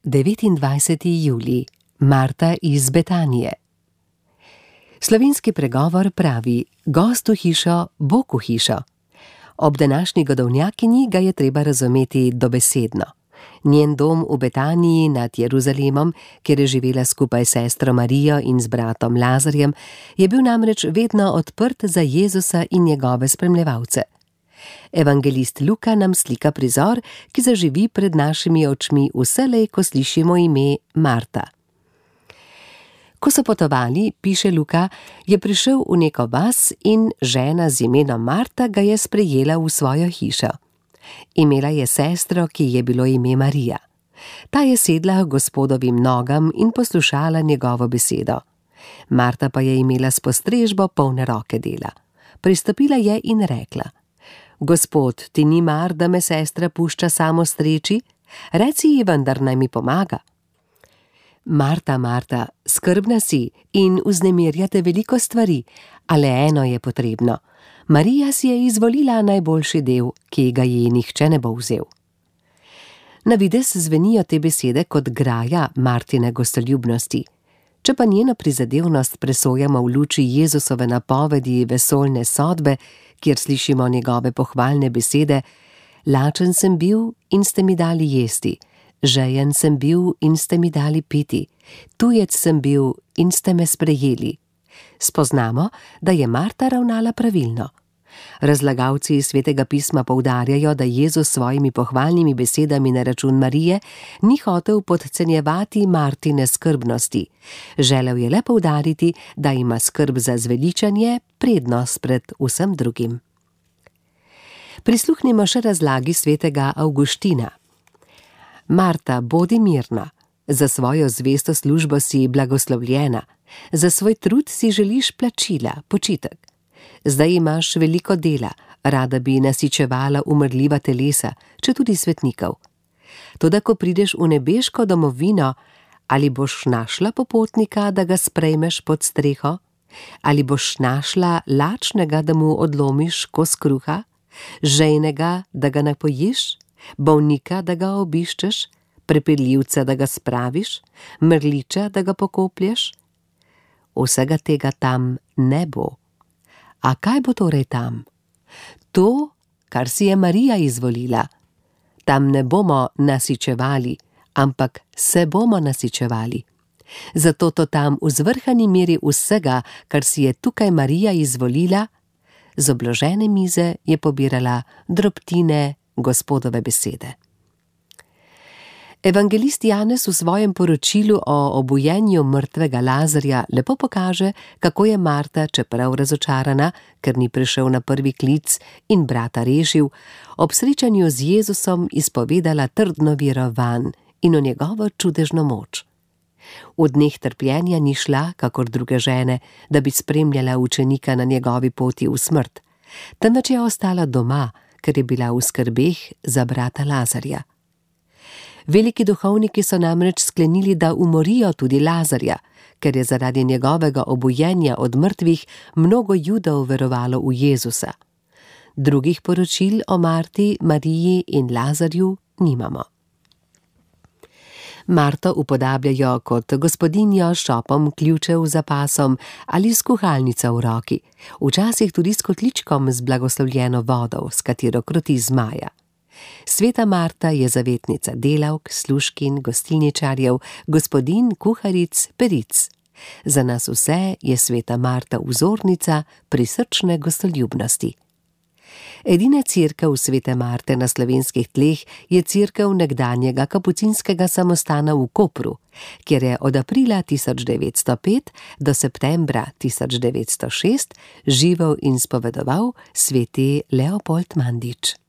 29. julij, Marta iz Betanije. Slovenski pregovor pravi: gost v hišo, Bog v hišo. Ob današnji godovnjakinji ga je treba razumeti dobesedno. Njen dom v Betaniji nad Jeruzalemom, kjer je živela skupaj s sestro Marijo in z bratom Lazarjem, je bil namreč vedno odprt za Jezusa in njegove spremljevalce. Evangelist Luka nam slika prizor, ki zaživi pred našimi očmi vselej, ko slišimo ime Marta. Ko so potovali, piše Luka, je prišel v neko vas in žena z imenom Marta ga je sprejela v svojo hišo. Imela je sestro, ki je bilo ime Marija. Ta je sedla k Gospodovim nogam in poslušala njegovo besedo. Marta pa je imela s postrežbo polne roke dela. Pristopila je in rekla: Gospod, ti ni mar, da me sestra pušča samo streči? Reci ji vendar, naj mi pomaga. Marta, Marta, skrbna si in vznemirjate veliko stvari, a le eno je potrebno. Marija si je izvolila najboljši del, ki ga ji nihče ne bo vzel. Na videz zvenijo te besede kot graja Martine gostoljubnosti. Če pa njeno prizadevnost presojamo v luči Jezusove napovedi vesoljne sodbe, kjer slišimo njegove pohvalne besede: lačen sem bil in ste mi dali jesti, žejen sem bil in ste mi dali piti, tujec sem bil in ste me sprejeli. Spoznamo, da je Marta ravnala pravilno. Razlagalci iz Svetega pisma poudarjajo, da Jezus s svojimi pohvalnimi besedami na račun Marije ni hotel podcenjevati Martine skrbnosti. Želel je le poudariti, da ima skrb za zveličanje prednost pred vsem drugim. Prisluhnimo še razlagi svetega Avguština. Marta, bodi mirna. Za svojo zvesto službo si blagoslovljena. Za svoj trud si želiš plačila, počitek. Zdaj imaš veliko dela, rada bi nasičevala umrljiva telesa, četudi svetnikov. Toda ko prideš v nebeško domovino, ali boš našla popotnika, da ga sprejmeš pod streho? Ali boš našla lačnega, da mu odlomiš kos kruha? Žejnega, da ga napojiš? Bolnika, da ga obiščeš? Prepeljivca, da ga spraviš? Mrliča, da ga pokoplješ? Vsega tega tam ne bo. A kaj bo torej tam? To, kar si je Marija izvolila. Tam ne bomo nasičevali, ampak se bomo nasičevali. Zato to tam v zvrhani meri vsega, kar si je tukaj Marija izvolila, z obložene mize je pobirala drobtine Gospodove besede. Evangelist Janez v svojem poročilu o obujenju mrtvega Lazarja lepo pokaže, kako je Marta, čeprav razočarana, ker ni prišel na prvi klic in brata rešil, ob srečanju z Jezusom izpovedala trdno vero vanj in v njegovo čudežno moč. V dneh trpljenja ni šla, kakor druge žene, da bi spremljala učenika na njegovi poti v smrt, temveč je ostala doma, ker je bila v skrbeh za brata Lazarja. Veliki duhovniki so namreč sklenili, da umorijo tudi Lazarja, ker je zaradi njegovega obujenja od mrtvih mnogo Judov verovalo v Jezusa. Drugih poročil o Marti, Mariji in Lazarju nimamo. Marto upodabljajo kot gospodinjo s šopom ključev za pasom ali s kuhalnico v roki, včasih tudi s kotličkom z blagoslovljeno vodo, s katero kroti zmaja. Sveta Marta je zavetnica delavk, služkinj, gostilničarjev, gospodinj, kuharic, peric. Za nas vse je sveta Marta vzornica prisrčne gostoljubnosti. Edina cerkev svete Marte na slovenskih tleh je cerkev nekdanjega kapucinskega samostana v Kopru, kjer je od aprila 1905 do septembra 1906 živel in spovedoval sveti Leopold Mandič.